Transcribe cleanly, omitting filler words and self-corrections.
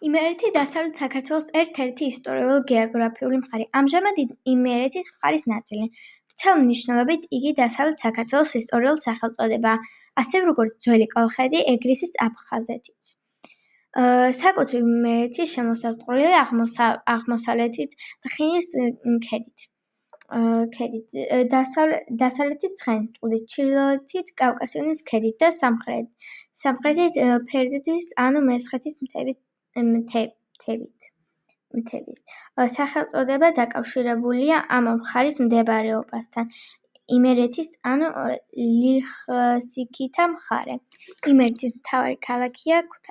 იმერეთი დასავლეთ საქართველოს ერთ-ერთი ისტორიულ-გეოგრაფიული მხარე. ამჟამად იმერეთის მხარის ნაწილი. ვრცელ მნიშვნელობით იგი დასავლეთ საქართველოს ისტორიული სახელწოდებაა, ასევე როგორც ძველი კოლხეთი ეგრისის აფხაზეთიც. საკუთრივ იმერეთი შემოსაზღვრულია აღმოსავლეთით თხინის ქედით, დასავლეთით ცხენისწყლით, ჩრდილოეთით კავკასიონის ქედით და სამხრეთით ფერდობის ანუ მესხეთის მთების. სახელწოდება დაკავშირებულია ამ მხარის მდებარეობასთან. იმერეთის ანუ ლიხსიქითა მხარე. იმერეთის მთავარი ქალაქია ქუთაისი.